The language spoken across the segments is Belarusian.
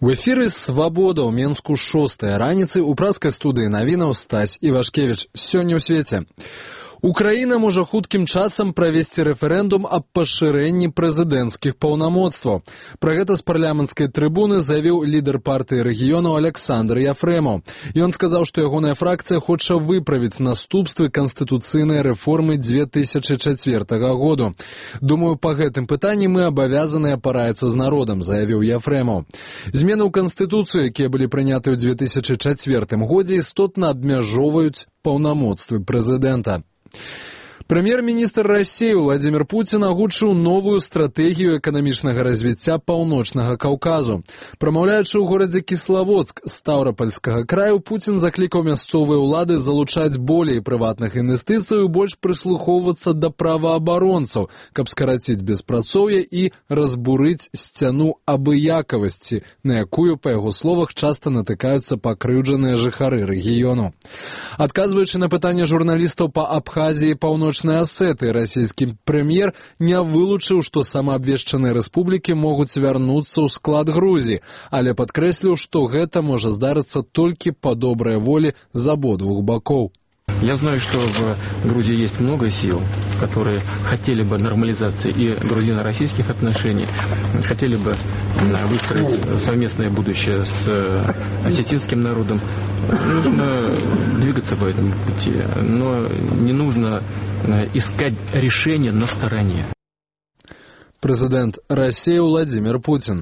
У эфіры «Свабода» ў Менску 6-я раніцы ў праскай студыі навінаў Стась Івашкевіч. Сёння ў свеце. Украіна можа хуткім часам правесці рэферэндум аб пашырэнні прэзідэнцкіх паўнамоцтваў. Пра гэта з парламенцкай трыбуны заявіў лідар партыі рэгіёну Александр Яфрэмаў. Ён сказаў, што ягоная фракцыя хоча выправіць наступствы канстытуцыйнай рэформы 2004 году. Думаю, па гэтым пытанні мы абавязаныя параіцца з народам, заявіў Яфрэмаў. Змены ў канстытуцыю, якія былі прыняты ў 2004 годзе, істотна абмяжоўваюць паўнамоцтвы прэзідэнта. Прэм'ер-міністр Расіі Владзімір Пуцін агучыў новую стратэгію эканамічнага развіцця Паўночнага Каўказу. Прамаўляючы ў горадзе Кіславодск Стаўрапольскага краю, Пуцін заклікаў мясцовыя ўлады залучаць болей прыватных інвестыцый і больш прыслухоўвацца да праваабаронцаў, каб скараціць беспрацоўе і разбурыць сцяну абыякавасці, на якую, па яго словах, часта натыкаюцца пакрыўджаныя жыхары рэгіёну. Адказваючы на пытанне журналістаў па Абхазіі і Паўночнай Асеты, расійскі прэм'ер не вылучыў, што самаабвешчаныя рэспублікі могуць вярнуцца ў склад Грузіі, але падкрэсліў, што гэта можа здарыцца толькі па добрай волі з абодвух бакоў. Я знаю, что в Грузии есть много сил, которые хотели бы нормализации и грузино-российских отношений, хотели бы выстроить совместное будущее с осетинским народом. Нужно двигаться по этому пути, но не нужно искать решения на стороне. Прэзідэнт Расіі Владзімір Пуцін.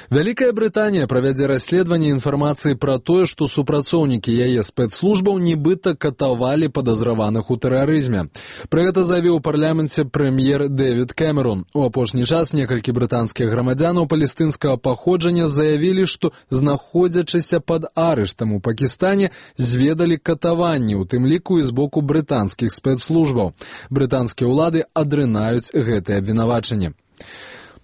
Вялікая Брытанія правядзе расследаванне інфармацыі пра тое, што супрацоўнікі яе спецслужбаў нібыта катавалі падазраваных у тэрарызме. Пра гэта заявіў у парламенце прэм'ер Дэвід Кэмерон. У апошні час некалькі брытанскіх грамадзянаў палестынскага паходжання заявілі, што, знаходзячыся пад арыштам у Пакістане, зведалі катаванні, у тым ліку і з боку брытанскіх спецслужбаў. Брытанскія ўлады адрынаюць гэтыя абвінавачанні.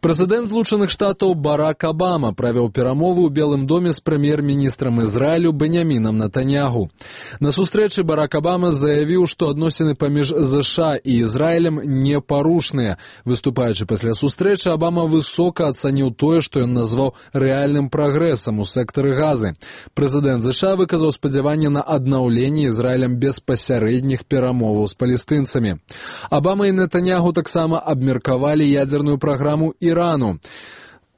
Прэзідэнт Злучаных Штатаў Барак Абама правёў перамовы ў Белым доме з прэм'ер-міністрам Ізраілю Беньямінам Нетаньяху. На сустрэчы Барак Абама заявіў, што адносіны паміж ЗША і Ізраілем непарушныя. Выступаючы пасля сустрэчы, Абама высока ацаніў тое, што ён назваў рэальным прагрэсам у сектары Газы. Прэзідэнт ЗША выказаў спадзяванне на аднаўленне Ізраілем беспасярэдніх перамоваў з палестынцамі. Абама і Нетаньяху таксама абмеркавалі ядзерную праграму Ірану.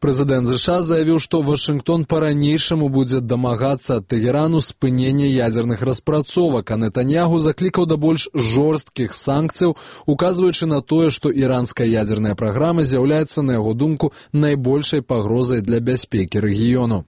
Прэзідэнт ЗША заявіў, што Вашынгтон па-ранейшаму будзе дамагацца ад Тэгерану спынення ядзерных распрацовак, а Нетаньяху заклікаў да больш жорсткіх санкцыяў, указваючы на тое, што іранская ядзерная праграма з'яўляецца, на яго думку, найбольшай пагрозай для бяспекі рэгіёну.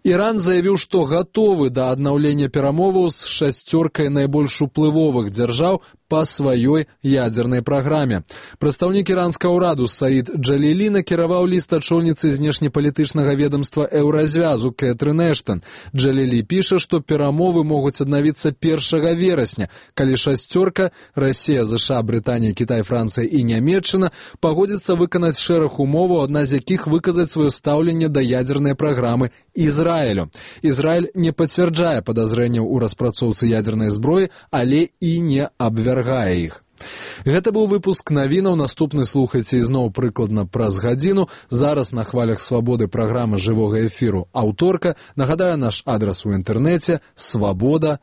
Іран заявіў, што гатовы да аднаўлення перамоваў з шасцёркай найбольш уплывовых дзяржаў па сваёй ядзернай праграме. Прадстаўнік іранскага ўраду Саід Джалілі накіраваў ліст ачольніцы знешнепалітычнага ведамства Еўразвязу Кэтрын Эштан. Джалілі піша, што перамовы могуць аднавіцца 1 верасня, калі шасцёрка – Расія, ЗША, Брытанія, Кітай, Францыя і Нямецчына – пагодзіцца выканаць шэраг умоваў, адна з якіх выказаць сваё стаўленне да ядзернай праграмы Ізраілю. Ізраіль не пацвярджае падазрэнняў у распрацоўцы ядзернай зброі, але і не абвяргае іх. Гэта быў выпуск навінаў, наступны слухайце ізноў прыкладна праз гадзіну. Зараз на хвалях Свабоды праграма жывога эфіру «Аўторка». Нагадаю, наш адрас у інтэрнэце – swaboda.org.